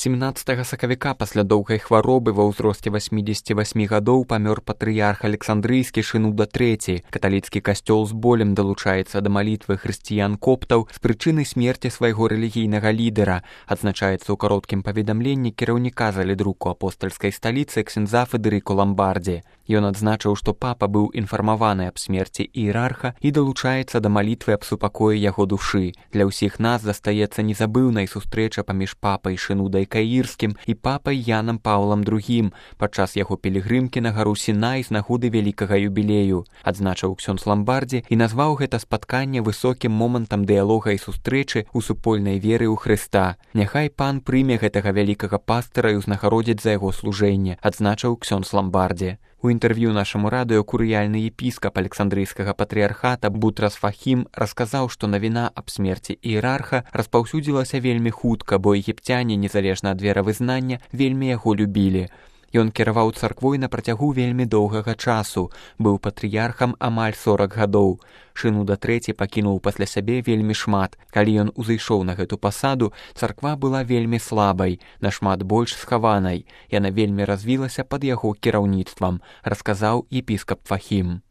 17 сакавіка пасля доўгай хваробы ва ўзросце 88 гадоў памёр патрыярх Александрыйскі Шынуда III. Каталіцкі касцёл з болем далучаецца да малітвы хрысціян-коптаў з прычыны смерці свайго рэлігійнага лідара, адзначаецца ў кароткім паведамленні кіраўніка залідруку апостальскай сталіцы ксяндза Федэрыко Ламбардзі. Ён адзначыў, што папа быў інфармаваны аб смерці іерарха і далучаецца да малітвы аб супакоі яго душы. Для ўсіх нас застаецца незабыўнай сустрэча паміж папай Шынудай Каірскім і папай Янам Паўлам II падчас яго пілігрымкі на гару Сінай з нагоды вялікага юбілею, адзначыў ксёндз Ламбардзі і назваў гэта спатканне высокім момантам дыялога і сустрэчы ў супольнай веры ў Хрыста. Няхай пан прыме гэтага вялікага пастыра і ўзнагародзіць за яго служэнне, адзначыў ксёндз Ламбардзі. У інтэрв'ю нашаму радыё курыяльны епіскап Александрыйскага патрыярхата Бутрас Фахім расказаў, што навіна аб смерці іерарха распаўсюдзілася вельмі хутка, бо егіпцяне, незалежна ад веравызнання, вельмі яго любілі. Ён кіраваў царквой на працягу вельмі доўгага часу, быў патрыярхам амаль 40 гадоў. Шынуда III пакінуў пасля сябе вельмі шмат. Калі ён узышоў на гэту пасаду, царква была вельмі слабай, нашмат больш схаванай. Яна вельмі развілася пад яго кіраўніцтвам, расказаў епіскап Фахім.